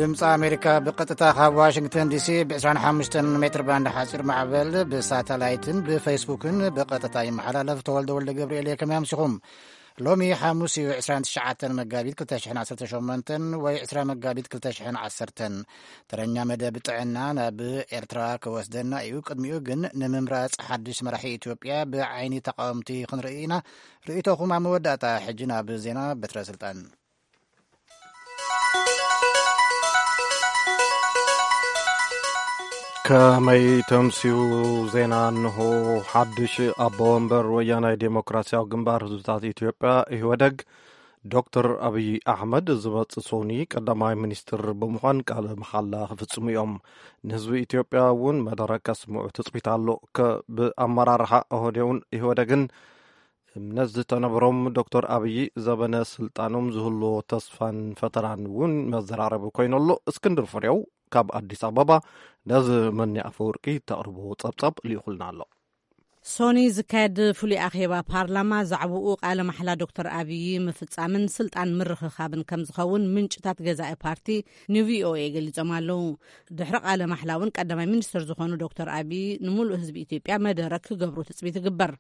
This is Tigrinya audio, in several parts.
ድምፂ ኣሜሪካ ብቐጥታ ካብ ዋሽንግተን ዲሲ ብ ዕስራን ሓሙሽተን ሜትር ባንድ ሓፂር ማዕበል ብሳተላይትን ብፌስቡክን ብቐጥታ ይመሓላለፍ። ተወልደ ወልደ ገብርኤል እየ። ከመይ ኣምሲኹም? ሎሚ ሓሙስ እዩ፣ ዕስራን ትሽዓተን መጋቢት ክልተ ሽሕን ዓሰርተ ሸሞንተን ወይ ዕስራ መጋቢት ክልተ ሽሕን ዓሰርተን። ተረኛ መደብ ጥዕና ናብ ኤርትራ ክወስደና እዩ። ቅድሚኡ ግን ንምምራፅ ሓድሽ መራሒ ኢትዮጵያ ብዓይኒ ተቃወምቲ ክንርኢ ኢና። ርእይቶኹም ኣብ መወዳእታ። ሕጂ ናብ ዜና። በትረ ስልጣን። ከመይ ተምስዩ? ዜና እንሆ። ሓድሽ ኣቦ ወንበር ወያናይ ዴሞክራሲያዊ ግንባር ህዝብታት ኢትዮጵያ፣ ኢህወደግ፣ ዶክተር ኣብይ ኣሕመድ፣ ዝመጽእ ሶኒ ቀዳማይ ሚኒስትር ብምዃን ቃለ መሓላ ክፍጽሙ እዮም። ንህዝቢ ኢትዮጵያ እውን መደረ ከስምዑ ትጽቢት ኣሎ። ከ-፣ ብኣመራርሓ ኦህዴውን ኢህወደግን እምነት ዝተነብሮም ዶክተር ኣብይ፣ ዘበነ ስልጣኖም ዝህልዎ ተስፋን ፈተናን እውን መዘራረቢ ኮይኑ ኣሎ። እስክንድር ፍሬው ካብ ኣዲስ ኣበባ ነዚ መኒ ኣፈወርቂ ተቕርቦ ጸብጻብ ልኢኹልና ኣሎ። ሶኒ ዝካየድ ፍሉይ ኣኼባ ፓርላማ ዛዕባኡ ቃለ ማሕላ ዶክተር ኣብይ ምፍጻምን ስልጣን ምርኽኻብን ከም ዝኸውን ምንጭታት ገዛኢ ፓርቲ ንቪኦኤ ገሊጾም ኣለዉ። ድሕሪ ቃለ ማሕላ እውን ቀዳማይ ሚኒስትር ዝኾኑ ዶክተር ኣብይ ንምሉእ ህዝቢ ኢትዮጵያ መደረ ክገብሩ ትጽቢት ይግበር።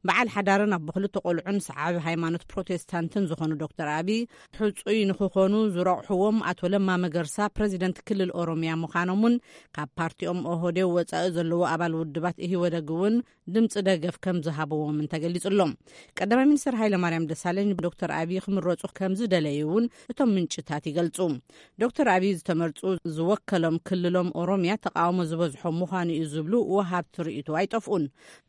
በዓል ሓዳርን ኣቦ ክልተ ቆልዑን ሰዓቢ ሃይማኖት ፕሮቴስታንትን ዝኾኑ ዶክተር ኣብይ፣ ሕጹይ ንክኾኑ ዝረቑሕዎም ኣቶ ለማ መገርሳ ፕረዚደንት ክልል ኦሮሚያ ምዃኖምን ካብ ፓርቲኦም ኦህዴው ወጻኢ ዘለዎ ኣባል ውድባት ኢህወደግ እውን ድምፂ ደገፍ ከም ዝሃብዎምን ተገሊጹ ኣሎ። ቀዳማይ ሚኒስትር ሃይለማርያም ደሳለኝ ዶክተር ኣብይ ክምረጹ ከም ዝደለዩ እውን እቶም ምንጭታት ይገልጹ። ዶክተር ኣብይ ዝተመርጹ ዝወከሎም ክልሎም ኦሮሚያ ተቃውሞ ዝበዝሖ ምዃኑ እዩ ዝብሉ ወሃብቲ ርእይቶ ኣይጠፍኡን።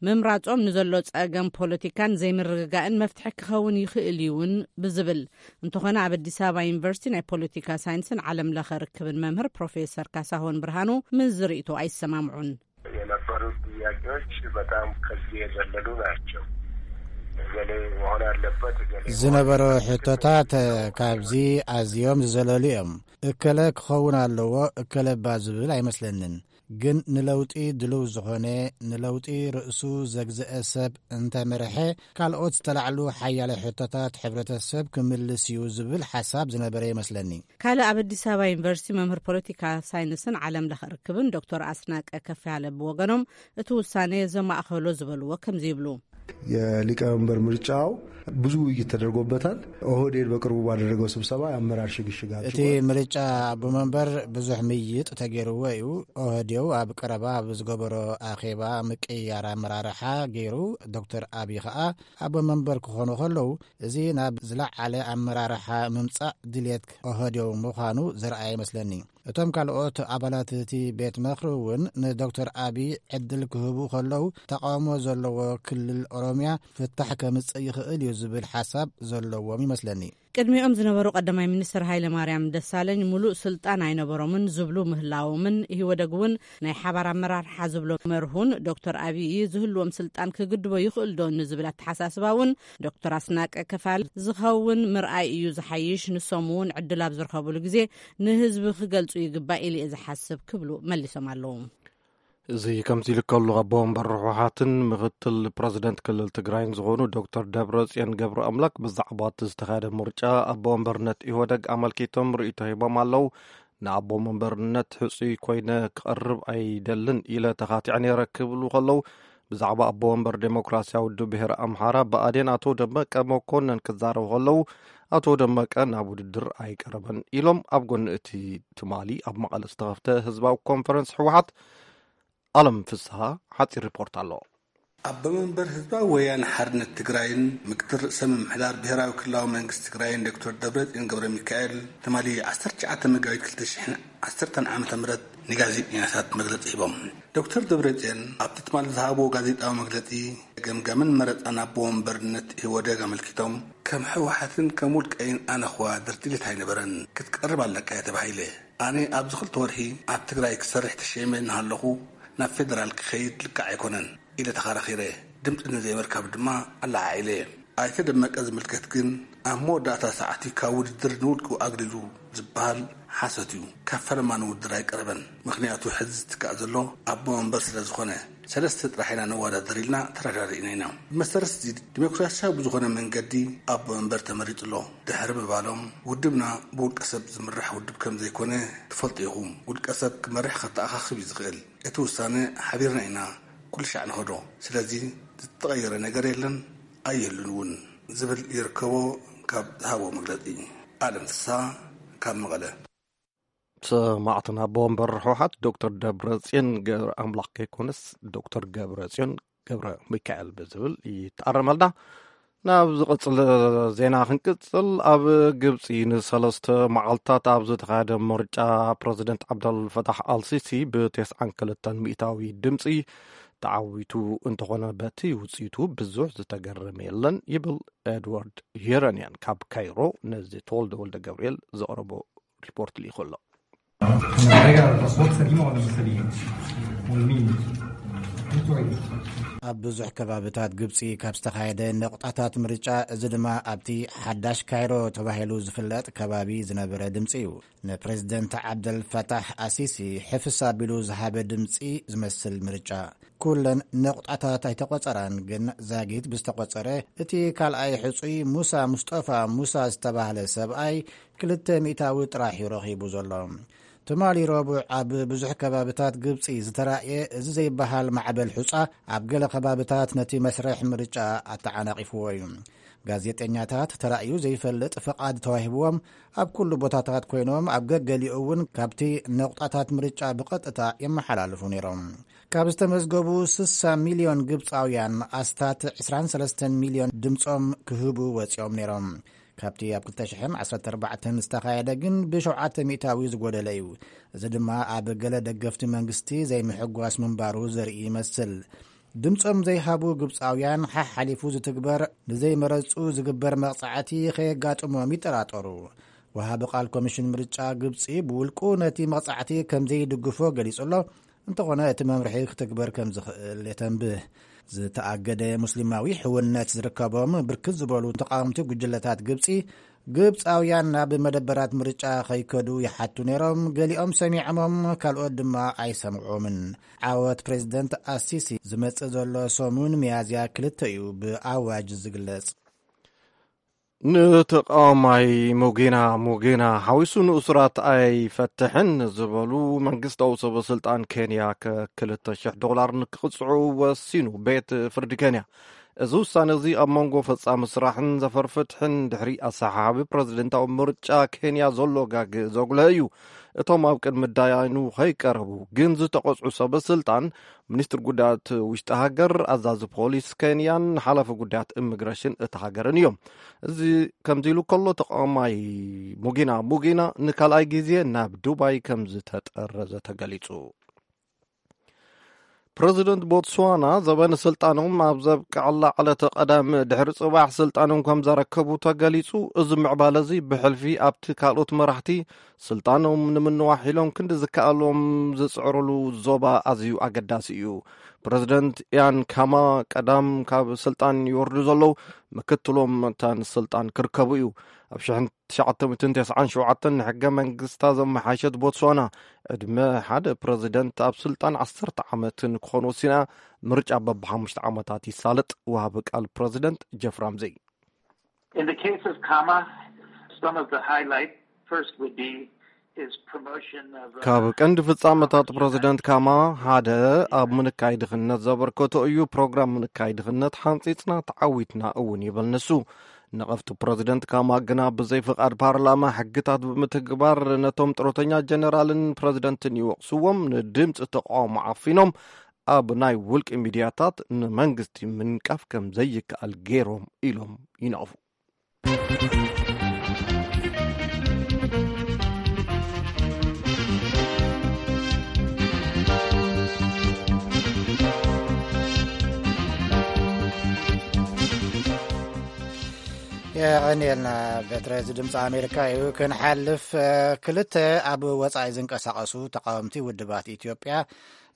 ምምራጾም ንዘሎ ጸገም ፖለቲካን ዘይምርግጋእን መፍትሒ ክኸውን ይኽእል እዩውን ብዝብል፣ እንተኾነ ኣብ ኣዲስ ኣበባ ዩኒቨርሲቲ ናይ ፖለቲካ ሳይንስን ዓለም ለኸ ርክብን መምህር ፕሮፌሰር ካሳሁን ብርሃኑ ምስ ዝርእይቶ ኣይሰማምዑን። የነበሩት ጥያቄዎች በጣም ከዚህ የዘለሉ ናቸው። እገሌ መሆን አለበት፣ እገሌ መሆን ዝነበሩ ሕቶታት ካብዚ ኣዝዮም ዝዘለሉ እዮም። እከለ ክኸውን ኣለዎ፣ እከለ እባ ዝብል ኣይመስለንን። ግን ንለውጢ ድልው ዝኾነ፣ ንለውጢ ርእሱ ዘግዘአ ሰብ እንተመርሐ፣ ካልኦት ዝተላዕሉ ሓያለ ሕቶታት ሕብረተሰብ ክምልስ እዩ ዝብል ሓሳብ ዝነበረ ይመስለኒ። ካልእ ኣብ ኣዲስ ኣበባ ዩኒቨርሲቲ መምህር ፖለቲካ ሳይንስን ዓለም ለኸ ርክብን ዶክተር ኣስናቀ ከፍ ያለ ብወገኖም፣ እቲ ውሳኔ ዘማእኸሎ ዝበልዎ ከምዚ ይብሉ። የሊቀመንበር ምርጫው ብዙ ውይይት ተደርጎበታል። ኦህዴድ በቅርቡ ባደረገው ስብሰባ የአመራር ሽግሽግ እቲ ኣድርጓል። ምርጫ ኣቦ መንበር ብዙሕ ምይይጥ ተገይርዎ እዩ። ኦህዴው ኣብ ቀረባ ኣብ ዝገበሮ ኣኼባ ምቅያር ኣመራርሓ ገይሩ፣ ዶክተር ኣብይ ኸኣ ኣቦ መንበር ክኾኑ ከለዉ፣ እዚ ናብ ዝለዓለ ኣመራርሓ ምምጻእ ድልየት ኦህዴው ምዃኑ ዘርኣየ ይመስለኒ። እቶም ካልኦት ኣባላት እቲ ቤት ምኽሪ እውን ንዶክተር ኣብይ ዕድል ክህቡ ከለዉ፣ ተቃውሞ ዘለዎ ክልል ኦሮምያ ፍታሕ ከምጽእ ይኽእል እዩ ዝብል ሓሳብ ዘለዎም ይመስለኒ። ቅድሚኦም ዝነበሩ ቀዳማይ ሚኒስትር ሃይለ ማርያም ደሳለኝ ሙሉእ ስልጣን ኣይነበሮምን ዝብሉ ምህላዎምን፣ ኢህወደግ እውን ናይ ሓባር ኣመራርሓ ዝብሎ መርሁን ዶክተር ኣብይ ዝህልዎም ስልጣን ክግድቦ ይኽእል ዶ ንዝብል ኣተሓሳስባ እውን ዶክተር ኣስናቀ ከፋል ዝኸውን ምርኣይ እዩ ዝሓይሽ። ንሶም እውን ዕድል ኣብ ዝረኸብሉ ግዜ ንህዝቢ ክገልጹ ይግባእ ኢለ እየ ዝሓስብ ክብሉ መሊሶም ኣለዉ። እዚ ከምዚ ኢሉ ከሎ፣ ኣቦ ወንበር ህወሓትን ምክትል ፕረዚደንት ክልል ትግራይን ዝኾኑ ዶክተር ደብረጽዮን ገብረ ኣምላክ ብዛዕባ እቲ ዝተኻየደ ምርጫ ኣቦ ወንበርነት ኢህወደግ ኣመልኪቶም ርእይቶ ሂቦም ኣለዉ። ንኣቦ ወንበርነት ሕጹይ ኮይነ ክቐርብ ኣይደልን ኢለ ተኻቲዐ ነይረ ክብሉ ከለዉ፣ ብዛዕባ ኣቦ ወንበር ዴሞክራሲያዊ ውድብ ብሄረ ኣምሓራ ብኣዴን ኣቶ ደመቀ መኮነን ክዛረቡ ከለዉ፣ ኣቶ ደመቀ ናብ ውድድር ኣይቀረበን ኢሎም ኣብ ጎኒ እቲ ትማሊ ኣብ መቐለ ዝተኸፍተ ህዝባዊ ኮንፈረንስ ህወሓት ኣለም ፍስሃ ሓጺር ሪፖርት ኣሎ። ኣቦ መንበር ህዝባዊ ወያነ ሓርነት ትግራይን ምክትል ርእሰ ምምሕዳር ብሄራዊ ክልላዊ መንግስቲ ትግራይን ዶክተር ደብረጽዮን ገብረ ሚካኤል ትማሊ ዓሰርተ ትሽዓተ መጋቢት ክልተ ሽሕን ዓሰርተን ዓመተ ምህረት ንጋዜጠኛታት መግለጺ ሂቦም። ዶክተር ደብረጽዮን ኣብቲ ትማሊ ዝሃብዎ ጋዜጣዊ መግለጺ፣ ገምጋምን መረጻን ኣቦ ወንበርነት ኢህወደግ ኣመልኪቶም፣ ከም ህወሓትን ከም ውልቀይን ኣነ ኸዋ ድርድሪት ኣይነበረን፣ ክትቀርብ ኣለካ እየ ተባሂለ። ኣነ ኣብዚ ክልተ ወርሒ ኣብ ትግራይ ክሰርሕ ተሸይመ እናሃለኹ ናብ ፌደራል ክኸይድ ልክዕ ኣይኮነን ኢለ ተኸራኺረ። ድምፂ ንዘይምርካብ ድማ ኣለዓዒለ። ኣይተ ደመቀ ዝምልከት ግን ኣብ መወዳእታ ሰዓት እዩ ካብ ውድድር ንውልቁ ኣግሊሉ ዝበሃል ሓሶት እዩ። ካብ ፈለማ ንውድድር ኣይቀረበን። ምኽንያቱ ሕዚ ዝትካእ ዘሎ ኣቦ መንበር ስለ ዝኾነ፣ ሰለስተ ጥራሕ ኢና ነወዳደር ኢልና ተረዳዲእና ኢና። ብመሰረት እዚ፣ ዲሞክራሲያዊ ብዝኾነ መንገዲ ኣቦ መንበር ተመሪጡ ኣሎ። ድሕሪ ምባሎም፣ ውድብና ብውልቀ ሰብ ዝምራሕ ውድብ ከም ዘይኮነ ትፈልጡ ኢኹም። ውልቀ ሰብ ክመርሕ ከተኣኻኽብ እዩ ዝኽእል። እቲ ውሳነ ሓቢርና ኢና ኩሉ ሻዕ ንኸዶ። ስለዚ ዝተቐየረ ነገር የለን፣ ኣይህሉን እውን ዝብል ይርከቦ ካብ ዝሃቦ መግለጺ። ኣለም ፍስሃ ካብ መቐለ። ሰማዕትና ኣቦ ወንበር ህወሓት ዶክተር ደብረጽዮን ገብረ ኣምላኽ ከይኮነስ ዶክተር ገብረጽዮን ገብረ ሚካኤል ብዝብል ይተኣረመልና። ናብ ዝቕጽል ዜና ክንቅጽል፣ ኣብ ግብጺ ንሰለስተ መዓልታት ኣብ ዝተኻየደ ምርጫ ፕረዚደንት ዓብደል ፈታሕ ኣልሲሲ ብ ተስዓን ክልተን ሚእታዊ ድምጺ ተዓዊቱ እንተኾነ፣ በቲ ውጽኢቱ ብዙሕ ዝተገረመ የለን ይብል ኤድዋርድ ዩረንያን ካብ ካይሮ። ነዚ ተወልደ ወልደ ገብርኤል ዘቕረቦ ሪፖርት ልኢኹ ኣሎ። ኣብ ብዙሕ ከባብታት ግብጺ ካብ ዝተኻየደ ነቑጣታት ምርጫ፣ እዚ ድማ ኣብቲ ሓዳሽ ካይሮ ተባሂሉ ዝፍለጥ ከባቢ ዝነበረ ድምጺ እዩ። ንፕሬዚደንት ዓብደል ፈታሕ ኣሲሲ ሕፍስ ኣቢሉ ዝሃበ ድምጺ ዝመስል ምርጫ። ኩለን ነቑጣታት ኣይተቖጸራን፣ ግን ዛጊት ብዝተቖጸረ፣ እቲ ካልኣይ ሕጹይ ሙሳ ሙስጠፋ ሙሳ ዝተባህለ ሰብኣይ ክልተ ሚእታዊ ጥራሕ እዩ ረኺቡ ዘሎ። ትማሊ ረቡዕ ኣብ ብዙሕ ከባብታት ግብጺ ዝተራእየ እዚ ዘይበሃል ማዕበል ሑጻ፣ ኣብ ገለ ከባብታት ነቲ መስርሕ ምርጫ ኣተዓናቒፍዎ እዩ። ጋዜጠኛታት ተራእዩ ዘይፈልጥ ፍቓድ ተዋሂብዎም ኣብ ኩሉ ቦታታት ኮይኖም፣ ኣብ ገገሊኡ እውን ካብቲ ነቑጣታት ምርጫ ብቐጥታ የመሓላልፉ ነይሮም። ካብ ዝተመዝገቡ ስሳ ሚልዮን ግብጻውያን፣ ኣስታት ዕስራን ሰለስተን ሚልዮን ድምጾም ክህቡ ወጺኦም ነይሮም። ካብቲ ኣብ ክልተ ሽሕን ዓሰርተ ኣርባዕተን ዝተኻየደ ግን ብሸውዓተ ሚእታዊ ዝጎደለ እዩ። እዚ ድማ ኣብ ገለ ደገፍቲ መንግስቲ ዘይምሕጓስ ምንባሩ ዘርኢ ይመስል። ድምጾም ዘይሃቡ ግብጻውያን፣ ሓሓሊፉ ዝትግበር ንዘይመረጹ ዝግበር መቕጻዕቲ ከየጋጥሞም ይጠራጠሩ። ወሃቢ ቃል ኮሚሽን ምርጫ ግብጺ ብውልቁ ነቲ መቕጻዕቲ ከም ዘይድግፎ ገሊጹ ኣሎ። እንተኾነ፣ እቲ መምርሒ ክትግበር ከም ዝኽእል የተንብህ። ዝተኣገደ ሙስሊማዊ ሕውነት ዝርከቦም ብርክት ዝበሉ ተቃወምቲ ጉጅለታት ግብጺ፣ ግብጻውያን ናብ መደበራት ምርጫ ከይከዱ ይሓቱ ነይሮም። ገሊኦም ሰሚዖሞም፣ ካልኦት ድማ ኣይሰምዖምን። ዓወት ፕሬዚደንት ኣሲሲ ዝመጽእ ዘሎ ሰሙን ሚያዝያ ክልተ እዩ ብኣዋጅ ዝግለጽ። ንተቃዋማይ ሙጌና ሙጌና ሓዊሱ ንእሱራት ኣይፈትሕን ዝበሉ መንግስታዊ ሰበ ስልጣን ኬንያ፣ ከክልተ ሽሕ ዶላር ንክቕጽዑ ወሲኑ ቤት ፍርዲ ኬንያ። እዚ ውሳነ እዚ ኣብ መንጎ ፈጻሚ ስራሕን ዘፈር ፍትሕን ድሕሪ ኣሰሓሓቢ ፕረዚደንታዊ ምርጫ ኬንያ ዘሎ ጋግ ዘጉልሀ እዩ። እቶም ኣብ ቅድሚ ዳያኑ ከይቀረቡ ግን ዝተቐጽዑ ሰበ ስልጣን፣ ሚኒስትር ጉዳያት ውሽጢ ሃገር፣ ኣዛዚ ፖሊስ ኬንያን ሓላፊ ጉዳያት ኢሚግሬሽን እታ ሃገርን እዮም። እዚ ከምዚ ኢሉ ከሎ፣ ተቃዋማይ ሙጊና ሙጊና ንካልኣይ ግዜ ናብ ዱባይ ከም ዝተጠረዘ ተገሊጹ። ፕረዚደንት ቦትስዋና ዘበን ስልጣኖም ኣብ ዘብቅዐላ ዕለተ ቀዳም ድሕሪ ጽባሕ ስልጣኖም ከም ዘረከቡ ተገሊጹ። እዚ ምዕባለ እዚ ብሕልፊ ኣብቲ ካልኦት መራሕቲ ስልጣኖም ንምንዋሕ ኢሎም ክንዲ ዝከኣሎም ዝጽዕሩሉ ዞባ ኣዝዩ ኣገዳሲ እዩ። ፕረዚደንት ኢያን ካማ ቀዳም ካብ ስልጣን ይወርዱ ዘለዉ፣ ምክትሎም መታን ስልጣን ክርከቡ እዩ። ኣብ ሽሕን ትሽዓተ ሚእትን ተስዓን ሸውዓተን ንሕገ መንግስታ ዘመሓየሸት ቦትስዋና፣ ዕድመ ሓደ ፕረዚደንት ኣብ ስልጣን ዓሰርተ ዓመት ንክኾን ወሲና፣ ምርጫ በብሓሙሽተ ዓመታት ይሳለጥ። ወሃቢ ቃል ፕረዚደንት ጀፍ ራምዚ። In the case of Kama, some of the highlight first would be his promotion of, uh, ካብ ቀንዲ ፍጻመታት ፕረዚደንት ካማ ሓደ ኣብ ምንካይ ድኽነት ዘበርከቶ እዩ። ፕሮግራም ምንካይ ድኽነት ሓንጺጽና ተዓዊትና እውን ይብል ንሱ። ነቐፍቲ ፕረዚደንት ካማ ግና ብዘይ ፍቓድ ፓርላማ ሕግታት ብምትግባር ነቶም ጥሮተኛ ጀነራልን ፕረዚደንትን ይወቕስዎም። ንድምፂ ተቃውሞ ዓፊኖም ኣብ ናይ ውልቂ ሚድያታት ንመንግስቲ ምንቃፍ ከም ዘይከኣል ገይሮም ኢሎም ይነቕፉ። የቐንየልና። በትረ እዚ ድምፂ ኣሜሪካ እዩ። ክንሓልፍ፣ እ፣ ክልተ ኣብ ወፃኢ ዝንቀሳቐሱ ተቃወምቲ ውድባት ኢትዮጵያ፣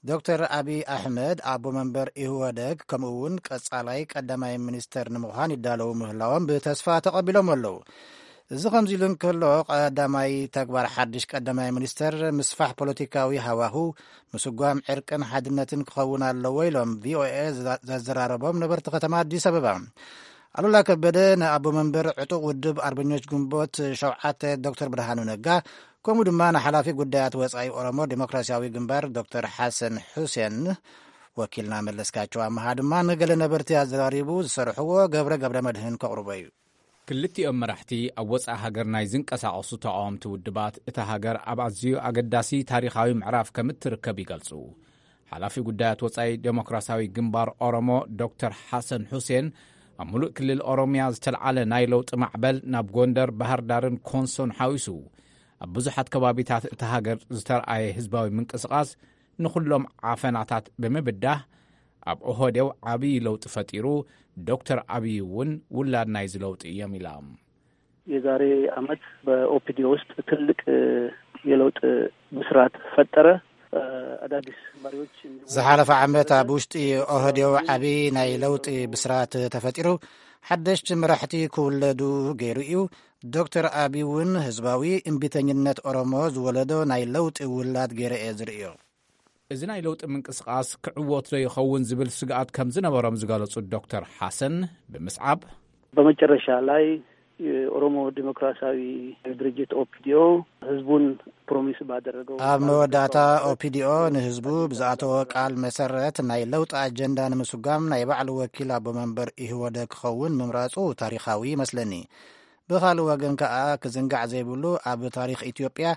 ዶክተር ኣብይ ኣሕመድ ኣቦ መንበር ኢህወደግ ከምኡ እውን ቀፃላይ ቀዳማይ ሚኒስተር ንምዃን ይዳለዉ ምህላዎም ብተስፋ ተቐቢሎም ኣለዉ። እዚ ከምዚ ኢሉ እንከሎ፣ ቀዳማይ ተግባር ሓድሽ ቀዳማይ ሚኒስተር ምስፋሕ ፖለቲካዊ ሃዋሁ፣ ምስጓም ዕርቅን ሓድነትን ክኸውን ኣለዎ ኢሎም ቪኦኤ ዘዘራረቦም ነበርቲ ከተማ ኣዲስ ኣበባ። ኣሉላ ከበደ ንኣቦ መንበር ዕጡቕ ውድብ ኣርበኞች ግንቦት ሸውዓተ ዶክተር ብርሃኑ ነጋ፣ ከምኡ ድማ ንሓላፊ ጉዳያት ወጻኢ ኦሮሞ ዴሞክራሲያዊ ግንባር ዶክተር ሓሰን ሑሴን፣ ወኪልና መለስካቸው ኣመሃ ድማ ንገለ ነበርቲ ኣዘራሪቡ ዝሰርሕዎ ገብረ ገብረ መድህን ከቕርቦ እዩ። ክልቲኦም መራሕቲ ኣብ ወጻኢ ሃገር ናይ ዝንቀሳቐሱ ተቓወምቲ ውድባት፣ እታ ሃገር ኣብ ኣዝዩ ኣገዳሲ ታሪኻዊ ምዕራፍ ከም እትርከብ ይገልጹ። ሓላፊ ጉዳያት ወጻኢ ዴሞክራሲያዊ ግንባር ኦሮሞ ዶክተር ሓሰን ሑሴን፣ ኣብ ሙሉእ ክልል ኦሮሚያ ዝተልዓለ ናይ ለውጢ ማዕበል ናብ ጎንደር፣ ባህር ዳርን ኮንሶን ሓዊሱ፣ ኣብ ብዙሓት ከባቢታት እታ ሃገር ዝተርኣየ ህዝባዊ ምንቅስቓስ ንኹሎም ዓፈናታት ብምብዳህ፣ ኣብ ኦህዴው ዓብዪ ለውጢ ፈጢሩ፣ ዶክተር ኣብይ እውን ውላድ ናይዚ ለውጢ እዮም ኢላ። የዛሬ ዓመት በኦፒዲዮ ውስጥ ትልቅ የለውጥ ብስራት ፈጠረ። አዳዲስ መሪዎች እንዲሁ ዝሓለፈ ዓመት ኣብ ውሽጢ ኦህዴው ዓቢ ናይ ለውጢ ብስራት ተፈጢሩ፣ ሓደሽቲ መራሕቲ ክውለዱ ገይሩ እዩ። ዶክተር ኣቢ እውን ህዝባዊ እምቢተኝነት ኦሮሞ ዝወለዶ ናይ ለውጢ ውላድ ገይረ እየ ዝርእዮ። እዚ ናይ ለውጢ ምንቅስቓስ ክዕወት ዶ ይኸውን ዝብል ስግኣት ከም ዝነበሮም ዝገለጹ ዶክተር ሓሰን ብምስዓብ፣ በመጨረሻ ላይ የኦሮሞ ዲሞክራሲያዊ ድርጅት ኦፒዲዮ ህዝቡን ፕሮሚስ ባደረገው ኣብ መወዳእታ ኦፒዲዮ ንህዝቡ ብዝኣተወ ቃል መሰረት ናይ ለውጢ ኣጀንዳ ንምስጓም ናይ ባዕሉ ወኪል ኣቦ መንበር ኢህወደ ክኸውን ምምራጹ ታሪኻዊ ይመስለኒ። ብኻልእ ወገን ከኣ ክዝንጋዕ ዘይብሉ፣ ኣብ ታሪኽ ኢትዮጵያ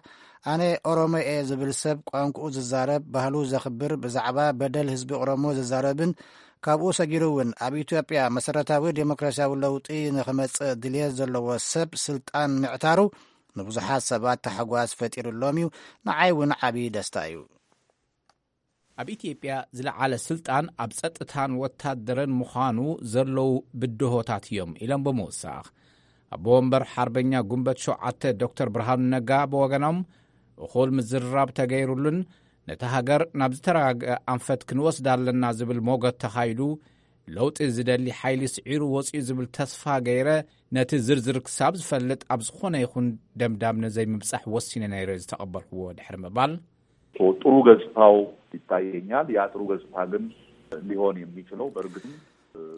ኣነ ኦሮሞ እየ ዝብል ሰብ ቋንቋኡ ዝዛረብ፣ ባህሉ ዘኽብር፣ ብዛዕባ በደል ህዝቢ ኦሮሞ ዝዛረብን ካብኡ ሰጊሩ እውን ኣብ ኢትዮጵያ መሰረታዊ ዴሞክራሲያዊ ለውጢ ንኽመጽእ ድልየት ዘለዎ ሰብ ስልጣን ምዕታሩ ንብዙሓት ሰባት ታሕጓስ ፈጢሩሎም እዩ። ንዓይ እውን ዓቢ ደስታ እዩ። ኣብ ኢትዮጵያ ዝለዓለ ስልጣን ኣብ ጸጥታን ወታደርን ምዃኑ ዘለዉ ብድሆታት እዮም ኢሎም ብምውሳኽ፣ ኣቦ ወንበር ሓርበኛ ጉንበት ሸውዓተ ዶክተር ብርሃኑ ነጋ ብወገኖም፣ እኹል ምዝርራብ ተገይሩሉን ነታ ሃገር ናብ ዝተረጋግአ ኣንፈት ክንወስዳ ኣለና ዝብል ሞገት ተኻይዱ፣ ለውጢ ዝደሊ ሓይሊ ስዒሩ ወጺኡ ዝብል ተስፋ ገይረ፣ ነቲ ዝርዝር ክሳብ ዝፈልጥ ኣብ ዝኾነ ይኹን ደምዳም ንዘይምብጻሕ ወሲነ ነይረ ዝተቐበልኩዎ ድሕሪ ምባል፣ ጥሩ ገጽታው ይታየኛል። ያ ጥሩ ገጽታ ግን ሊሆን የሚችለው በእርግጥም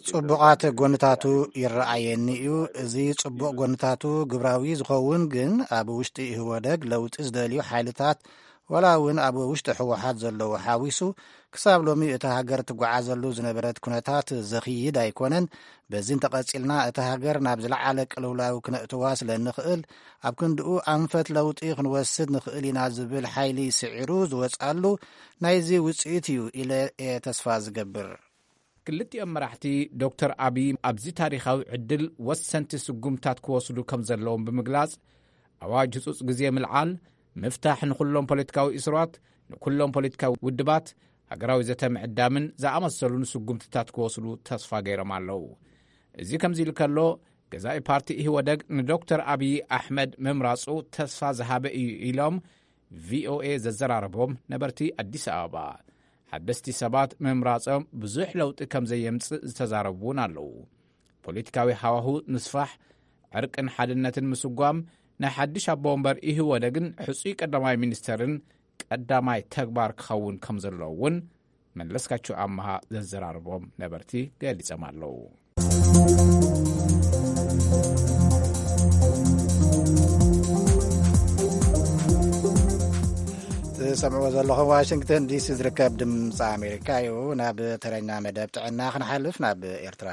ጽቡቓት ጎንታቱ ይረኣየኒ እዩ። እዚ ጽቡቕ ጎንታቱ ግብራዊ ዝኸውን ግን ኣብ ውሽጢ ኢህወደግ ለውጢ ዝደልዩ ሓይልታት ዋላ እውን ኣብ ውሽጢ ህወሓት ዘለዉ ሓዊሱ ክሳብ ሎሚ እታ ሃገር ትጓዓዘሉ ዝነበረት ኩነታት ዘኽይድ ኣይኮነን። በዚ እንተቐጺልና እታ ሃገር ናብ ዝለዓለ ቅልውላው ክነእትዋ ስለ እንኽእል ኣብ ክንድኡ ኣንፈት ለውጢ ክንወስድ ንኽእል ኢና ዝብል ሓይሊ ስዒሩ ዝወጽኣሉ ናይዚ ውጽኢት እዩ ኢለ እየ ተስፋ ዝገብር። ክልቲኦም መራሕቲ ዶክተር ኣብይ ኣብዚ ታሪኻዊ ዕድል ወሰንቲ ስጉምታት ክወስዱ ከም ዘለዎም ብምግላጽ፣ ኣዋጅ ህጹጽ ግዜ ምልዓል፣ ምፍታሕ ንኹሎም ፖለቲካዊ እስራት፣ ንኩሎም ፖለቲካዊ ውድባት፣ ሃገራዊ ዘተ ምዕዳምን ዝኣመሰሉ ንስጉምትታት ክወስዱ ተስፋ ገይሮም ኣለዉ። እዚ ከምዚ ኢሉ ከሎ፣ ገዛኢ ፓርቲ ኢህወደግ ንዶክተር ኣብይ ኣሕመድ ምምራጹ ተስፋ ዝሃበ እዩ ኢሎም ቪኦኤ ዘዘራረቦም ነበርቲ ኣዲስ ኣበባ፣ ሓደስቲ ሰባት ምምራጾም ብዙሕ ለውጢ ከም ዘየምጽእ ዝተዛረቡ እውን ኣለዉ። ፖለቲካዊ ሃዋሁ ንስፋሕ፣ ዕርቅን ሓድነትን ምስጓም ናይ ሓድሽ ኣቦ ወንበር ኢህወደግን ሕጹይ ቀዳማይ ሚኒስተርን ቀዳማይ ተግባር ክኸውን ከም ዘለዎ እውን መለስካቸው ኣመሃ ዘዘራረቦም ነበርቲ ገሊጾም ኣለዉ። ትሰምዕዎ ዘለኹም ዋሽንግተን ዲሲ ዝርከብ ድምፂ ኣሜሪካ እዩ። ናብ ተረኛ መደብ ጥዕና ክንሓልፍ፣ ናብ ኤርትራ።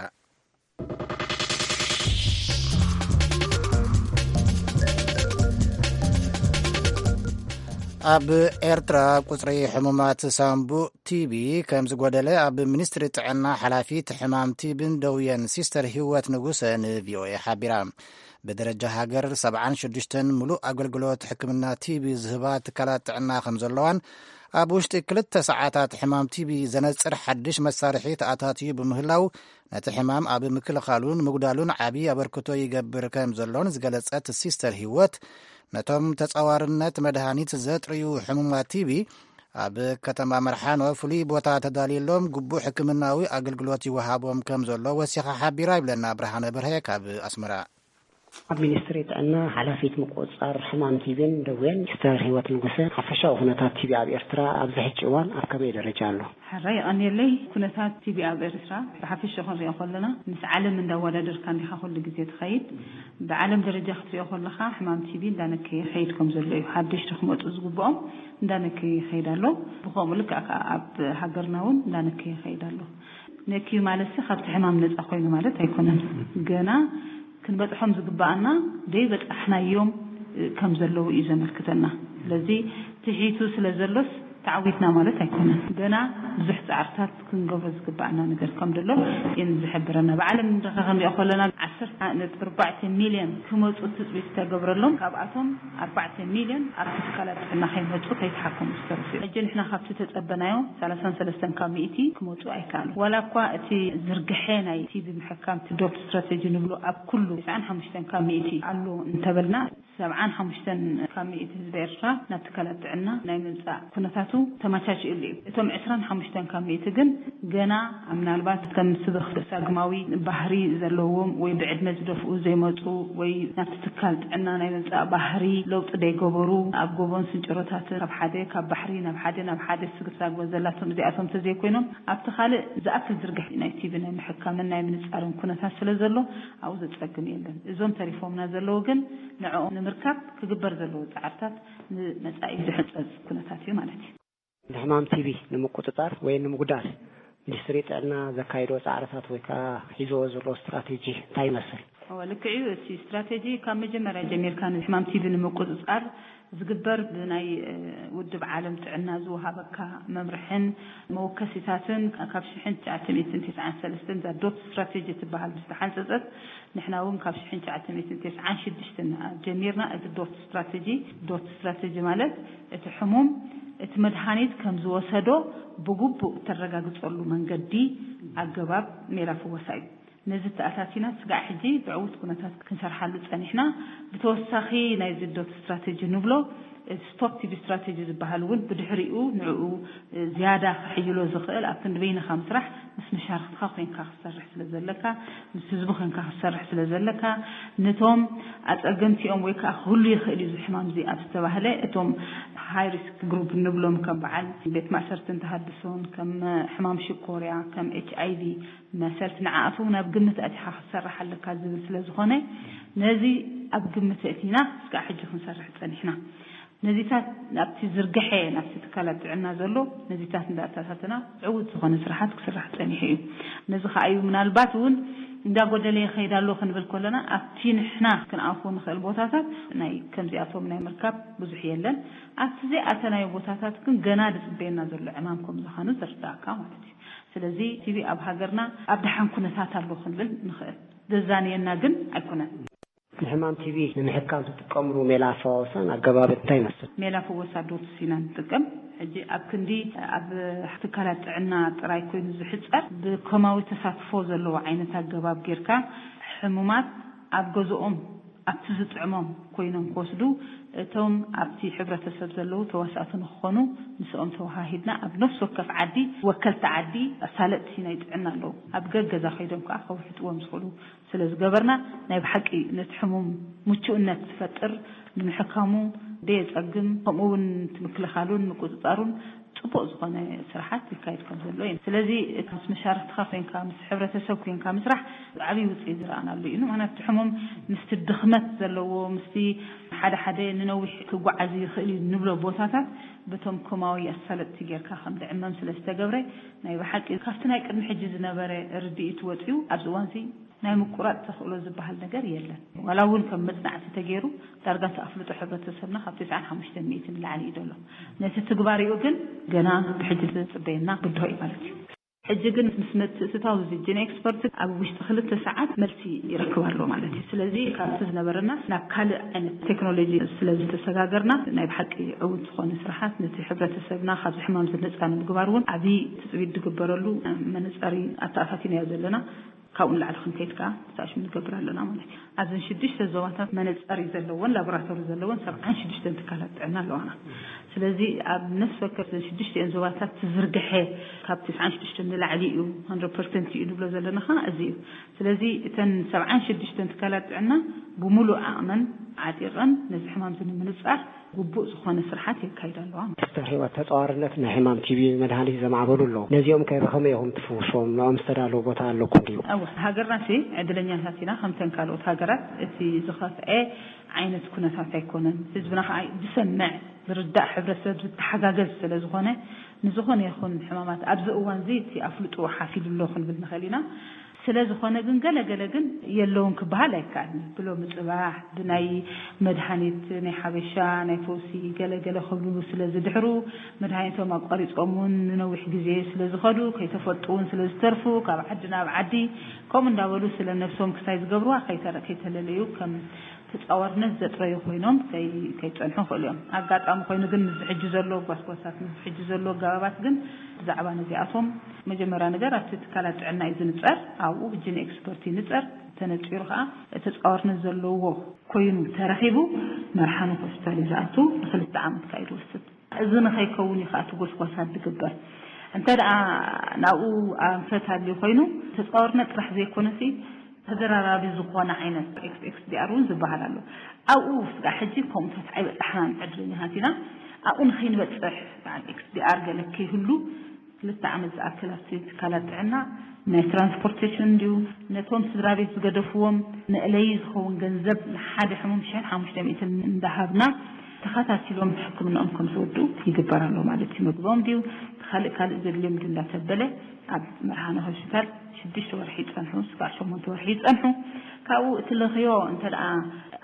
ኣብ ኤርትራ ቁጽሪ ሕሙማት ሳምቡእ ቲቢ ከም ዝጎደለ ኣብ ሚኒስትሪ ጥዕና ሓላፊት ሕማም ቲብን ደውየን ሲስተር ህይወት ንጉሰ ንቪኦኤ ሓቢራ። ብደረጃ ሃገር ሰብዓን ሽዱሽተን ምሉእ ኣገልግሎት ሕክምና ቲቢ ዝህባ ትካላት ጥዕና ከም ዘለዋን፣ ኣብ ውሽጢ ክልተ ሰዓታት ሕማም ቲቢ ዘነጽር ሓድሽ መሳርሒ ተኣታትዩ ብምህላው፣ ነቲ ሕማም ኣብ ምክልኻሉን ምጉዳሉን ዓቢ ኣበርክቶ ይገብር ከም ዘሎን ዝገለጸት ሲስተር ህይወት፣ ነቶም ተጻዋርነት መድሃኒት ዘጥርዩ ሕሙማት ቲቢ ኣብ ከተማ መርሓኖ ፍሉይ ቦታ ተዳልየሎም ግቡእ ሕክምናዊ ኣገልግሎት ይወሃቦም ከም ዘሎ ወሲኻ ሓቢራ፣ ይብለና ብርሃነ በርሀ ካብ ኣስመራ። ኣብ ሚኒስትሪ ጥዕና ሓላፊት ምቁፅፃር ሕማም ቲቢን ደዌን ሚስተር ህይወት ንጉሰ፣ ሓፈሻዊ ኩነታት ቲቢ ኣብ ኤርትራ ኣብዚ ሕጂ እዋን ኣብ ከመይ ደረጃ ኣሎ? ሕራይ የቐንየለይ። ኩነታት ቲቢ ኣብ ኤርትራ ብሓፈሻ ክንሪኦ ከለና፣ ምስ ዓለም እንዳወዳደርካ እንዲኻ ኩሉ ግዜ ትኸይድ። ብዓለም ደረጃ ክትሪኦ ከለኻ፣ ሕማም ቲቢ እንዳነከየ ይኸይድ ከም ዘሎ እዩ። ሓደሽቲ ክመፁ ዝግብኦም እንዳነከየ ይኸይድ ኣሎ። ብኸምኡ ልክዕ ከኣ ኣብ ሃገርና እውን እንዳነከየ ይኸይድ ኣሎ። ነክዩ ማለትሲ ካብቲ ሕማም ነፃ ኮይኑ ማለት ኣይኮነን። ገና ክንበፅሖም ዝግባኣና ደይበፃሕናዮም ከም ዘለዉ እዩ ዘመልክተና። ስለዚ ትሒቱ ስለ ዘሎስ ተዓዊትና ማለት ኣይኮነን። ገና ብዙሕ ፃዕርታት ክንገብሮ ዝግባኣና ነገር ከም ዘሎ እየን ዝሕብረና። ብዓለም ንረኸ ክንሪኦ ከለና፣ ዓሰርተ ነጥቢ ኣርባዕተ ሚልዮን ክመፁ ትፅቢት ዝተገብረሎም፣ ካብኣቶም ኣርባዕተ ሚልዮን ኣብቲ ትካላት ጥዕና ከይመፁ ከይተሓከሙ ዝተረፉ እዮም። ሕጂ ንሕና ካብቲ ተፀበናዮ ሰላሳን ሰለስተን ካብ ሚእቲ ክመፁ ኣይከኣሉ። ዋላ እኳ እቲ ዝርግሐ ናይ ቲቢ ምሕካም፣ እቲ ዶት ስትራቴጂ ንብሎ፣ ኣብ ኩሉ ተስዓን ሓሙሽተን ካብ ሚእቲ ኣሎ እንተበልና፣ ሰብዓን ሓሙሽተን ካብ ሚእቲ ህዝቢ ኤርትራ ናብ ትካላት ጥዕና ናይ ምምፃእ ኩነታቱ ተመቻችእሉ እዩ። እቶም ዕስራን ሓሙሽተን ካብ ሚእቲ ግን ገና ምናልባት ከም ስብኽ ሳግማዊ ባህሪ ዘለዎም ወይ ብዕድመ ዝደፍኡ ዘይመፁ ወይ ናብቲ ትካል ጥዕና ናይ ምምፃእ ባህሪ ለውጢ ደይገበሩ፣ ኣብ ጎቦን ስንጭሮታትን ካብ ሓደ ካብ ባሕሪ ናብ ሓደ ናብ ሓደ ስግሳግ ዘላቶም እዚኣቶም ተዘይኮይኖም፣ ኣብቲ ካልእ ዝኣክል ዝርግሕ ናይ ቲቢ ናይ ምሕካምን ናይ ምንፃርን ኩነታት ስለ ዘሎ ኣብኡ ዘፀግም የለን። እዞም ተሪፎምና ዘለዉ ግን ንዕኦም ንምርካብ ክግበር ዘለዎ ፃዕርታት ንመፃኢ ዝሕፀፅ ኩነታት እዩ ማለት እዩ። ንሕማም ቲቢ ንምቁፅፃር ወይ ንምጉዳል ሚኒስትሪ ጥዕና ዘካይዶ ፃዕርታት ወይ ከዓ ሒዝዎ ዘሎ ስትራቴጂ እንታይ ይመስል? እወ፣ ልክዕ እዩ። እቲ ስትራቴጂ ካብ መጀመርያ ጀሚርካ ንሕማም ቲቢ ንምቁፅፃር ዝግበር ብናይ፣ እ፣ ውድብ ዓለም ጥዕና ዝወሃበካ መምርሕን መወከሲታትን ካብ ሽሕን ትሽዓተ ሚእትን ተስዓን ሰለስተን እዛ ዶት ስትራቴጂ ትበሃል ዝተሓንፀፀት፣ ንሕና እውን ካብ ሽሕን ትሽዓተ ሚእትን ተስዓን ሽዱሽተን ጀሚርና። እዚ ዶት ስትራቴጂ፣ ዶት ስትራቴጂ ማለት እቲ ሕሙም እቲ መድሃኒት ከም ዝወሰዶ ብግቡእ እተረጋግፀሉ መንገዲ፣ ኣገባብ ሜላ ፍወሳ እዩ። ነዚ ተኣታቲና ስጋዕ ሕጂ ብዕዉት ኩነታት ክንሰርሓሉ ጸኒሕና። ብተወሳኺ ናይዚ ዶት ስትራቴጂ ንብሎ፣ እቲ ስቶፕ ቲቢ ስትራቴጂ ዝበሃል እውን ብድሕሪኡ ንዕኡ ዝያዳ ክሕይሎ ዝኽእል ኣብ ክንዲ በይንኻ ምስራሕ፣ ምስ መሻርኽትኻ ኮይንካ ክትሰርሕ ስለ ዘለካ፣ ምስ ህዝቢ ኮይንካ ክትሰርሕ ስለ ዘለካ፣ ነቶም ኣጸገምቲኦም ወይ ከኣ ክህሉ ይኽእል እዩ እዚ ሕማም እዚ ኣብ ዝተባህለ፣ እቶም ሃይ ሪስክ ግሩፕ ንብሎም ከም በዓል ቤት ማእሰርትን ተሃድሶን፣ ከም ሕማም ሽኮርያ፣ ከም ኤች ኣይ ቪ መሰልቲ ንዓኣቶም ናብ ግምት ኣቲኻ ክትሰርሕ ኣለካ ዝብል ስለ ዝኾነ፣ ነዚ ኣብ ግምት ኣእቲና እስካዕ ሕጂ ክንሰርሕ ጸኒሕና። ነዚታት ናብቲ ዝርግሐ ናብቲ ትካላት ጥዕና ዘሎ ነዚታት እንዳኣተኣታተና ዕዉት ዝኾነ ስራሓት ክስራሕ ጸኒሑ እዩ። ነዚ ከኣ እዩ ምናልባት እውን እንዳጎደለ ይኸይድ ኣሎ ክንብል ከለና፣ ኣብቲ ንሕና ክንኣትዎ ንኽእል ቦታታት ናይ ከምዚኣቶም ናይ ምርካብ ብዙሕ የለን። ኣብቲ ዘይኣተናዮ ቦታታት ግን ገና ዝጽበየና ዘሎ ዕማም ከም ዝኻኑ ዝርዳእካ ማለት እዩ። ስለዚ ቲቢ ኣብ ሃገርና ኣብ ደሓን ኩነታት ኣሎ ክንብል ንኽእል። ዘዛንየና ግን ኣይኮነን። ንሕማም ቲቢ ንምሕካም ትጥቀምሉ ሜላ ኣፈዋውሳን ኣገባብን እንታይ ይመስል? ሜላ ፍወሳ ዶትስ ኢና ንጥቀም። ሕጂ ኣብ ክንዲ ኣብ ትካላት ጥዕና ጥራይ ኮይኑ ዝሕጸር፣ ብከማዊ ተሳትፎ ዘለዎ ዓይነት ኣገባብ ጌርካ፣ ሕሙማት ኣብ ገዝኦም ኣብቲ ዝጥዕሞም ኮይኖም ክወስዱ፣ እቶም ኣብቲ ሕብረተሰብ ዘለዉ ተዋሳእቲ ንክኾኑ ምስኦም ተወሃሂድና ኣብ ነፍሲ ወከፍ ዓዲ፣ ወከልቲ ዓዲ፣ ኣሳለጥቲ ናይ ጥዕና ኣለዉ። ኣብ ገገዛ ከይዶም ከኣ ከውሕጥዎም ዝኽእሉ ስለ ዝገበርና፣ ናይ ብሓቂ ነቲ ሕሙም ምቹእነት ዝፈጥር፣ ንምሕካሙ ደየጸግም፣ ከምኡ እውን እቲ ምክልኻሉን ምቁጽጻሩን ጽቡቕ ዝኾነ ስራሓት ይካየድ ከም ዘሎ እዩ። ስለዚ እቲ ምስ መሻርክትኻ ኮይንካ፣ ምስ ሕብረተሰብ ኮይንካ ምስራሕ ዓብዪ ውፅኢት ዝረኣናሉ እዩ። ምኽንያቱ እቲ ሕሙም ምስቲ ድኽመት ዘለዎ፣ ምስቲ ሓደ ሓደ ንነዊሕ ክጓዓዝ ይኽእል እዩ ንብሎ ቦታታት በቶም ኮማዊ ኣሳለጥቲ ጌርካ ከም ዝዕመም ስለ ዝተገብረ፣ ናይ ብሓቂ ካብቲ ናይ ቅድሚ ሕጂ ዝነበረ ርድኢት ወፂኡ ኣብዚ እዋንዚ ናይ ምቁራፅ ተኽእሎ ዝበሃል ነገር የለን። ዋላ እውን ከም መፅናዕቲ ተገይሩ ዳርጋ እቲ ኣፍልጦ ሕብረተሰብና ካብ ተስዓን ሓሙሽተን ሚእቲ ንላዕሊ እዩ ዘሎ። ነቲ ትግባሪኡ ግን ገና ብሕጂ ዝፅበየና ብድሆ እዩ ማለት እዩ። ሕጂ ግን ምስ ምትእትታው እዚ ጂን ኤክስፐርት ኣብ ውሽጢ ክልተ ሰዓት መልሲ ይረክብ ኣሎ ማለት እዩ። ስለዚ ካብቲ ዝነበረና ናብ ካልእ ዓይነት ቴክኖሎጂ ስለ ዝተሰጋገርና ናይ ብሓቂ ዕዉት ዝኾነ ስራሓት ነቲ ሕብረተሰብና ካብዚ ሕማም ዝነፃ ንምግባር እውን ዓብዪ ትፅቢት ዝግበረሉ መነፀሪ ኣተኣታቲናዮ ዘለና። ካብኡ ንላዕሊ ክንከይድ ከኣ ተሳእሽም ንገብር ኣለና ማለት እዩ። ኣብዘን ሽዱሽተ ዞባታት መነጸሪ ዘለወን ላቦራቶሪ ዘለወን ሰብዓን ሽዱሽተን ትካላት ጥዕና ኣለዋና። ስለዚ ኣብ ነፍሲ ወከፍ ዘን ሽዱሽተን ዞባታት ትዝርግሐ ካብ ትስዓን ሽዱሽተን ንላዕሊ እዩ፣ ሃንድረድ ፐርሰንት እዩ ንብሎ ዘለና ኸኣ እዚ እዩ። ስለዚ እተን ሰብዓን ሽዱሽተን ትካላት ጥዕና ብምሉእ ዓቕመን ዓጢቐን ነዚ ሕማም እዚ ንምንጻር ግቡእ ዝኾነ ስርሓት የካይዳ ኣለዋ። ሲስተር ህይወት፣ ተጻዋርነት ናይ ሕማም ቲቢ መድሃኒት ዘማዕበሉ ኣለዉ። ነዚኦም ከ ብኸመይ ኢኹም ትፍውስዎም? ንኦም ዝተዳለወ ቦታ ኣለኩም ድዩ? እወ፣ ሃገርናሲ ዕድለኛታት ኢና። ከምተን ካልኦት ሃገራት እቲ ዝኸፍአ ዓይነት ኩነታት ኣይኮነን። ህዝብና ከኣ ዝሰምዕ፣ ዝርዳእ፣ ሕብረተሰብ ዝተሓጋገዝ ስለ ዝኾነ፣ ንዝኾነ ይኹን ሕማማት ኣብዚ እዋን እዚ እቲ ኣፍልጦ ሓፊሉ ኣሎ ክንብል ንኽእል ኢና። ስለ ዝኾነ ግን ገለ ገለ ግን የለውን ክበሃል ኣይከኣልን። ብሎሚ ጽባሕ ብናይ መድሃኒት ናይ ሓበሻ ናይ ፈውሲ ገለ ገለ ክብሉ ስለ ዝድሕሩ፣ መድሃኒቶም ኣቋሪጾም እውን ንነዊሕ ግዜ ስለ ዝኸዱ፣ ከይተፈልጡ እውን ስለ ዝተርፉ፣ ካብ ዓዲ ናብ ዓዲ፣ ከምኡ እንዳበሉ ስለ ነብሶም ክሳይ ዝገብርዋ ከይተረ-፣ ከይተለለዩ ከም ተጻዋርነት ዘጥረዩ ኮይኖም ከይ-፣ ከይጸንሑ ይኽእሉ እዮም። ኣጋጣሚ ኮይኑ ግን ምስዚ ሕጂ ዘሎ ጓስጓሳት፣ ምስዚ ሕጂ ዘሎ ኣገባባት ግን ብዛዕባ ነዚኣቶም መጀመርያ ነገር ኣብቲ ትካላት ጥዕና እዩ ዝንጸር። ኣብኡ ብጅን ኤክስፐርት ይንጸር። ተነጺሩ ከኣ ተጻዋርነት ዘለዎ ኮይኑ ተረኺቡ መርሓኒ ሆስፒታል እዩ ዝኣቱ። ንክልተ ዓመት ከኣ እዩ ዝወስድ። እዚ ንኸይከውን እዩ ከኣ እቲ ጎስጓሳት ዝግበር። እንተ ደኣ ናብኡ ኣንፈት ኣልዩ ኮይኑ ተጻዋርነት ጥራሕ ዘይኮነሲ ተደራራቢ ዝኾነ ዓይነት ኤክስ ኤክስ ዲ ኣር እውን ዝበሃል ኣሎ። ኣብኡ ስጋዕ ሕጂ ከምኡታት ኣይበጻሕናን፣ ዕድለኛታት ኢና። ኣብኡ ንኸይንበጽሕ በዓል ኤክስ ዲ ኣር ገለ ከይህሉ ክልተ ዓመት ዝኣክል ኣብቲ ትካላት ጥዕና ናይ ትራንስፖርቴሽን እንድዩ፣ ነቶም ስድራ ቤት ዝገደፍዎም መእለዪ ዝኸውን ገንዘብ ንሓደ ሕሙም ሽሕን ሓሙሽተ ሚእትን እንዳሃብና ተኸታቲሎም ሕክምናኦም ከም ዝወዱ ይግበር ኣሎ ማለት እዩ። ምግቦም ድዩ ካልእ ካልእ ዘድልዮም ድዩ እንዳተበለ ኣብ መርሃነ ሆስፒታል ሽዱሽተ ወርሒ ይጸንሑ፣ ስጋዕ ሸሞንተ ወርሒ ይጸንሑ። ካብኡ እቲ ለኽዮ እንተ ደኣ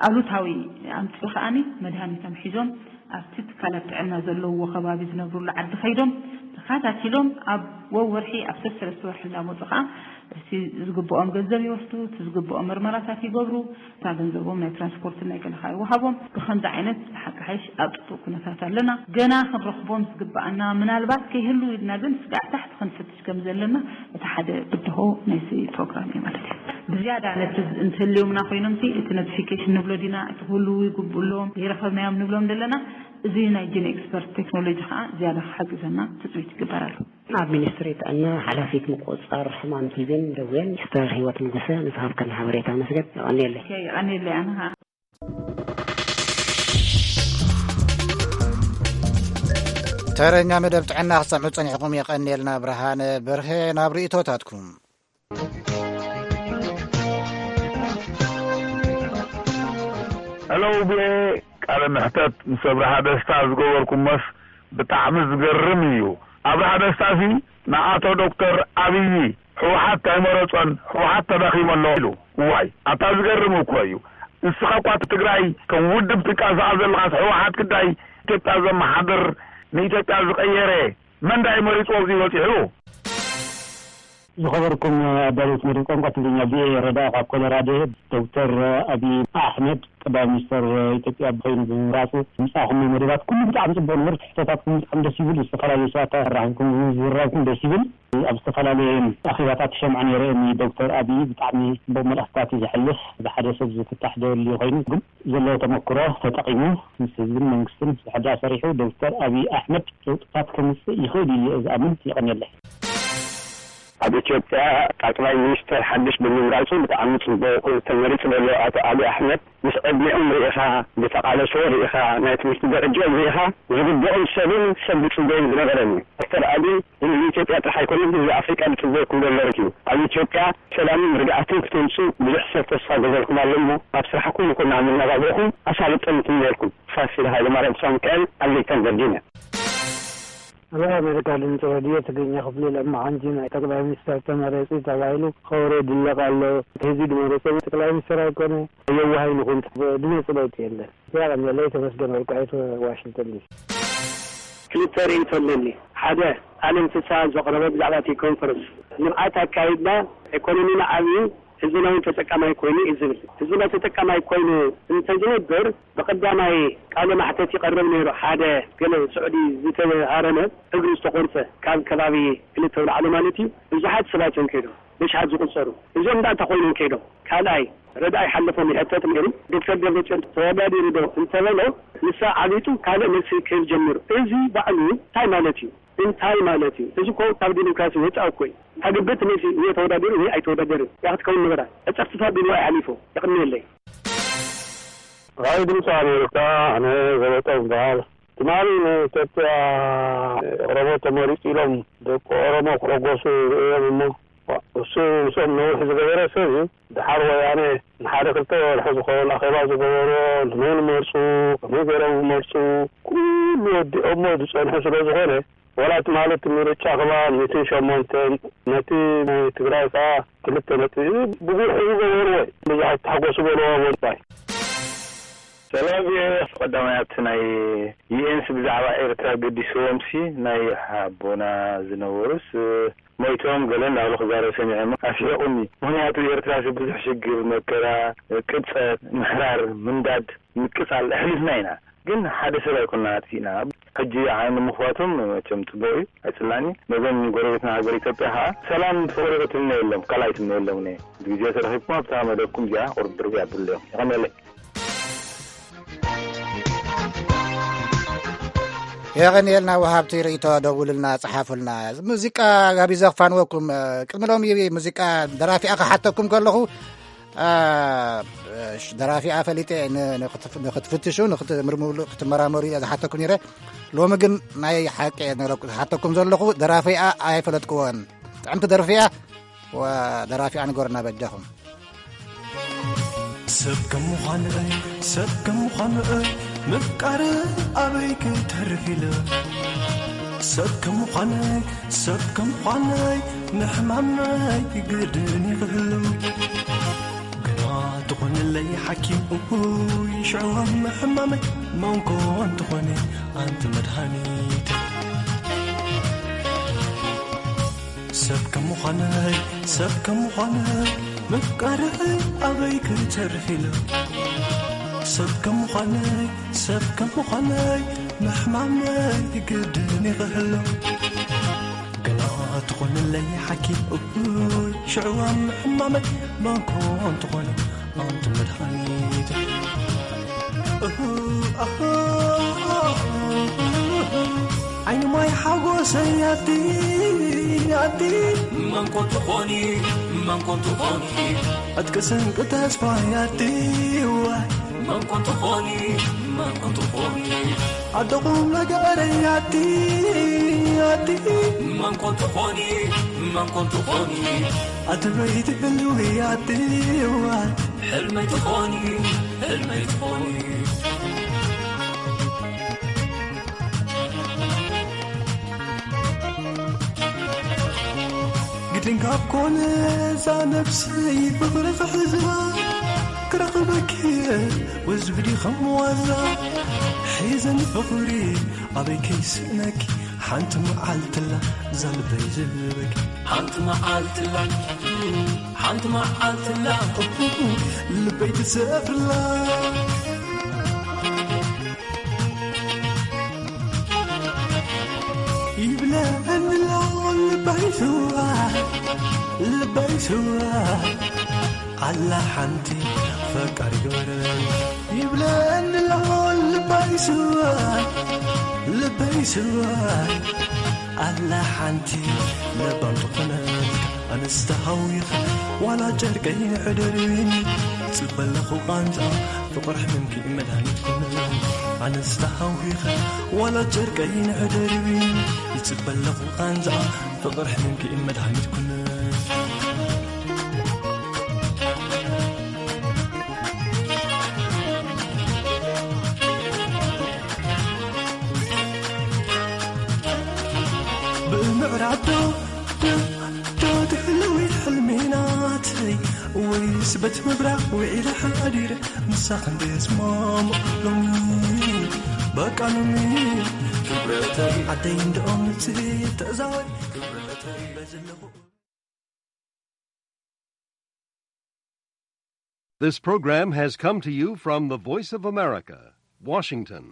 ኣሉታዊ ኣምጺኡ ከኣኒ መድሃኒቶም ሒዞም ኣብቲ ትካላት ጥዕና ዘለውዎ ከባቢ ዝነብሩሉ ዓዲ ከይዶም ተኸታቲሎም ኣብ ወወርሒ ኣብ ሰለስተ ወርሒ እንዳመጹ ከኣ እቲ ዝግብኦም ገንዘብ ይወስዱ፣ እቲ ዝግብኦም ምርመራታት ይገብሩ፣ እታ ገንዘቦም ናይ ትራንስፖርትን ናይ ገለ ከኣ ይወሃቦም። ብኸምዚ ዓይነት ብሓቂ ሓይሽ ኣብ ጽቡቕ ኩነታት ኣለና። ገና ክንረኽቦም ዝግብኣና ምናልባት ከይህሉ ኢልና ግን ስጋዕ ታሕቲ ክንፈትሽ ከም ዘለና እቲ ሓደ ብድሆ ናይዚ ፕሮግራም እዩ ማለት እዩ። ብዝያዳ ነቲ እንትህልዮምና ኮይኖምሲ እቲ ኖቲፊኬሽን ንብሎ ዲና፣ እቲ ክህልዉ ይግብኡ ኣለዎም፣ ዘይረኸብናዮም ንብሎም ዘለና፣ እዚ ናይ ጂን ኤክስፐርት ቴክኖሎጂ ከኣ ዝያዳ ክሕግዘና ትጽቢት ይግበረሉ። ኣብ ሚኒስትሪ ጥዕና ሓላፊት ምቁጽጻር ሕማም ቲቢን ደዌን ሚስተር ህይወት ንጉሰ ንዝሃብከን ሓበሬታ ኣመስገን። የቐንየለይ። ኦኬ፣ የቐንየለይ ኣነ ኸኣ። ተረኛ መደብ ጥዕና ክትሰምዑ ጸኒሕኩም የቐንየልና። ብርሃነ በርሀ ናብ ርእይቶታትኩም። ሄሎ ቪኦኤ፣ ቃለ መሕተት ምስ ኣብርሃ ደስታ ዝገበርኩሞስ ብጣዕሚ ዝገርም እዩ። ኣብርሃ ደስታሲ ንኣቶ ዶክተር ኣብይ ህወሓት ኣይመረጾን፣ ህወሓት ተዳኺሙ ኣሎ ኢሉ። እዋይ፣ ኣታ ዝገርም እኮ እዩ። ንስኻ እኳ ትግራይ ከም ውድብ ትቃሳኣ ዘለኻስ ህወሓት ግዳይ ኢትዮጵያ ዘመሓድር ንኢትዮጵያ ዝቐየረ መን ዳይ መሪጽዎ ኣብዚ በጺሑ? ዝኸበርኩም ኣዳለውቲ መደብ ቋንቋ ትግርኛ ቪኦኤ ረዳ ካብ ኮሎራዶ። ዶክተር ኣብይ ኣሕመድ ቀዳማይ ሚኒስተር ኢትዮጵያ ኮይኑ ብምምራፁ ምፃኹም መደባት ኩሉ ብጣዕሚ ፅቡቅ ነበር። ትሕቶታትኩም ብጣዕሚ ደስ ይብል። ዝተፈላለዩ ሰባት ኣራኺብኩም ዝዝራብኩም ደስ ይብል። ኣብ ዝተፈላለየ ኣኼባታት ይሰምዖ ነይረ ንዶክተር ኣብይ ብጣዕሚ ፅቡቅ መልእኽትታት እዩ ዘሕልፍ። ብሓደ ሰብ ዝፍታሕ ደልዩ ኮይኑ ግን ዘለዎ ተመክሮ ተጠቒሙ ምስ ህዝብን መንግስትን ዝሕዳ ሰሪሑ ዶክተር ኣብይ ኣሕመድ ለውጥታት ከምፅእ ይኽእል ኢሉ እየ ዝኣምን። የቐንየለይ። ኣብ ኢትዮጵያ ጠቅላይ ሚኒስተር ሓድሽ ብምምራጹ ብጣዕሚ ጽቡቕ። ተመሪጹ ዘሎ ኣቶ ኣብይ ኣሕመድ ምስ ዕድሚኦም ርኢኻ፣ ዝተቓለስዎ ርኢኻ፣ ናይ ትምህርቲ ደረጅኦም ርኢኻ፣ ዝግብኦም ሰብን ሰብ ዝጽበዩን ዝነበረን እዩ። ዶክተር ኣብይ ንህዝቢ ኢትዮጵያ ጥራሕ ኣይኮነን፣ ህዝቢ ኣፍሪቃ ዝጽበየኩም ዘሎ እዩ። ኣብ ኢትዮጵያ ሰላምን ርግኣትን ክተምጽኡ ብዙሕ ሰብ ተስፋ ገበርኩም ኣሎ እሞ ኣብ ስራሕኩም ይኹን ኣብ መነባብሮኹም ኣሳልጦ ንትምነየልኩም። ፋሲል ሃይለማርያም ተስፋሚካኤል፣ ኣሌክሳንደር ዲነ። ኣብ ኣሜሪካ ድምፂ ሬድዮ ትግርኛ ክፍሊ ለማዓንቲ ናይ ጠቅላይ ሚኒስተር ተመረፂ ተባሂሉ ከበሮ ይድለቕ ኣሎ። እቲ ህዝቢ ድመረፆ ጠቅላይ ሚኒስተር ኣይኮነ። የዋህ ኣይንኹን። ድመፂ ለውጢ የለን። ያቀንየለይ። ተመስገን ወርቁ ኣይ ዋሽንግተን ዲሲ። ክልተ ርእይቶ ኣለኒ። ሓደ ኣለም ፍስሃ ዘቕረቦ ብዛዕባ እቲ ኮንፈረንስ ንብዓት ኣካይድና ኢኮኖሚና ዓብዩ ህዝብና እውን ተጠቃማይ ኮይኑ እዩ ዝብል። ህዝብና ተጠቃማይ ኮይኑ እንተዝነብር ብቐዳማይ ቃለ ማሕተት ይቐርብ ነይሩ። ሓደ ገለ ስዑዲ ዝተሃረመ እግሩ ዝተቖርፀ ካብ ከባቢ ክልተ ኣውላዕሎ ማለት እዩ ብዙሓት ሰባት እዮም ከይዶም። ብሽሓት ዝቑጸሩ። እዚኦም ደኣ እንታይ ኮይኖም ከይዶም? ካልኣይ ረድኣይ ሓለፎም ይሕተት ነይሩ። ዶክተር ደብረጽዮን ተወዳዲሩ ዶ እንተበሎ፣ ንሳ ዓቢጡ ካልእ መልሲ ክህብ ጀሚሩ። እዚ ባዕሉ እንታይ ማለት እዩ? እንታይ ማለት እዩ? እዚ እኮ ካብ ዲሞክራሲ ወጻኢ እኮ እዩ። ተግብት መሲ ወይ ተወዳደሩ ወይ ኣይተወዳደርን እያ ክትከውን ነበራ። ዕጸፍትታት ብንዋይ ሓሊፎ። የቕንየለይ። ራይ ድምፂ ኣሜሪካ፣ ኣነ ዘበጠ ይበሃል። ትማሊ ንኢትዮጵያ ኦሮሞ ተመሪፁ ኢሎም ደቂ ኦሮሞ ክሕጎሱ ርእዮም እሞ፣ እሱ ምስኦም ነዊሕ ዝገበረ ሰብ እዩ። ድሓር ወያነ ንሓደ ክልተ ወርሒ ዝኸውን ኣኼባ ዝገበሮ፣ ንመን መርፁ፣ ከመይ ገይሮም መርፁ፣ ኩሉ ወዲኦሞ ዝፀንሑ ስለ ዝኾነ፣ ዋላ ትማሊ እቲ ምርጫ ከማን ሚእትን ሸሞንተን፣ ነቲ ናይ ትግራይ ከዓ ክልተ ነጥቢ፣ ብጉልሒ ዝገበርዎ እዩ። ብዙሓት ተሓጎሱ በልዎ ምባይ። ሰላም፣ ቪኦኤ። ቀዳማይ ኣብቲ ናይ ዩኤንስ ብዛዕባ ኤርትራ ገዲስዎም ሲ ናይ ሓቦና ዝነበሩስ ሞይቶም ገለ እንዳበሉ ክዛረብ ሰሚዐ እሞ ኣስሒቑኒ። ምኽንያቱ ኤርትራ ሲ ብዙሕ ሽግር፣ መከራ፣ ቅብጸት፣ ምሕራር፣ ምንዳድ፣ ምቅጻል ኣሕሊፍና ኢና። ግን ሓደ ሰብ ኣይኮንና ኣጥፊእና። ሕጂ ዓይኒ ምኽፋቶም መቸም ጽቡቕ እዩ፣ ኣይጽላእን እዩ። ነዞም ጎረቤትና ሃገር ኢትዮጵያ ኸኣ ሰላም ፍቕሪ ክትምነየሎም፣ ካልእ ኣይትምነየሎም እየ። ግዜ ተረኺብኩም ኣብታ መደብኩም እዚኣ ቁርብ ድርቢ ኣብሉ እዮም። የቐንየለይ። የቐንየልና ወሃብቲ ርእይቶ፣ ደውሉልና፣ ጸሓፉልና። ሙዚቃ ጋቢዘ ክፋንወኩም፣ ቅድሚ ሎሚ ሙዚቃ ደራፊኣ ክሓተኩም ከለኹ፣ አ፣ ሽ-፣ ደራፊኣ ፈሊጠ ን-፣ ንኽትፍ-፣ ንኽትፍትሹ፣ ንኽትምርምሩሉ፣ ክትመራመሩ እየ ዝሓተኩም ነይረ። ሎሚ ግን ናይ ሓቂ እየ ነረኩ-፣ ዝሓተኩም ዘለኹ፣ ደራፊኣ ኣይፈለጥክዎን። ጥዕምቲ ደርፊ እያ። ወ-፣ ደራፊኣ ንገሩና በጃኹም። ሰብ ከም ምዃን'ይ፣ ሰብ ከም ምዃን'ይ፣ ምፍቃር ኣበይ ክተርፍ ኢለ። ሰብ ከም ምዃን'ይ፣ ሰብ ከም ምዃን'ይ፣ ምሕማመይ ግድን ይኽህሉ። ግና ትኾንለይ ሓኪም እኩይ፣ ሽዑ ኣብ ምሕማመይ መንኮ እንትኾነ ኣንቲ መድሃኒት። ሰብ ከም ምዃነይ፣ ሰብ ከም ምዃነይ፣ ምፍቃርኸይ ኣበይ ክተርፍ ኢሉ። ሰብ ከም ምዃነይ፣ ሰብ ከም ምዃነይ፣ ምሕማመይ ግድን ይኽህሉ። ገና ትኾንለይ ሓኪም እኩይ፣ ሽዕዋ ምሕማመይ መንኮ እንትኾነ ኣንቲ መድሃኒት። እሁ፣ ኣሁ፣ ዓይኒ ማይ ሓጎሰይ ኣቲ፣ ኣቲ። መን ኮን ትኾኒ፣ መን ኮን ትኾኒ። ዕጥቂ ስንቂ ተስፋይ ኣቲ፣ ዋይ። መን ኮን ትኾኒ፣ መን ኮን ትኾኒ። ኣደ ቁም ነገረይ ኣቲ፣ ኣቲ። መን ኮን ትኾኒ፣ መን ኮን ትኾኒ። ኣቲ በይቲ ህልዊ ኣቲ፣ ዋይ። ሕልመይ ትኾኒ፣ ሕልመይ ትኾኒ። ግድን ካብ ኮነ እዛ ነብሰይ ፍቕሪ ክሕዝዋ ክረኽበኪ ወዝቢ ድኸም ዋዛ ሒዘን ፍቕሪ ኣበይ ከይስእነኪ ሓንቲ መዓልትላ እዛ ልበይ ዝህበኪ ሓንቲ መዓልትላ ሓንቲ መዓልትላ ልበይ ትሰፍርላ ይብለኒ ኣሎ ልበይ ስዋ ልበይ ስዋ ኣላ ሓንቲ ፈቃሪ ገበረ ይብለኒ ኣሎ ልበይ ስዋ ልበይ ስዋ ኣላ ሓንቲ ለባም ዝኾነት ኣንስቲ ሃዊኸ ዋላ ጨርቀይ ንሕደርብኒ ጽበለኹ ቃንዛ ፍቕር ሕምምኪ መድሃኒት ኮነ ኣንስቲ ሃዊኸ ዋላ ጨርቀይ ንሕደርብኒ ይጽበለኹ ቃንዛ ፍቕር ሕምምኪ መድሃኒት ኮነ ብእምዕራብ ዶ ዶ ዶ ትሕልዊ ሕልሚ ናተይ ወይስ በት ምብራቕ ውዒለ ሓዲረ ምሳኽ እንድየ ዝማሙቕ ሎሚ በቃ ሎሚ ክብረተይ ዓደይ እንደኦም ንጽህየ ተዛወር ክብረተይ በዝለኹ This program has come to you from the Voice of America, Washington.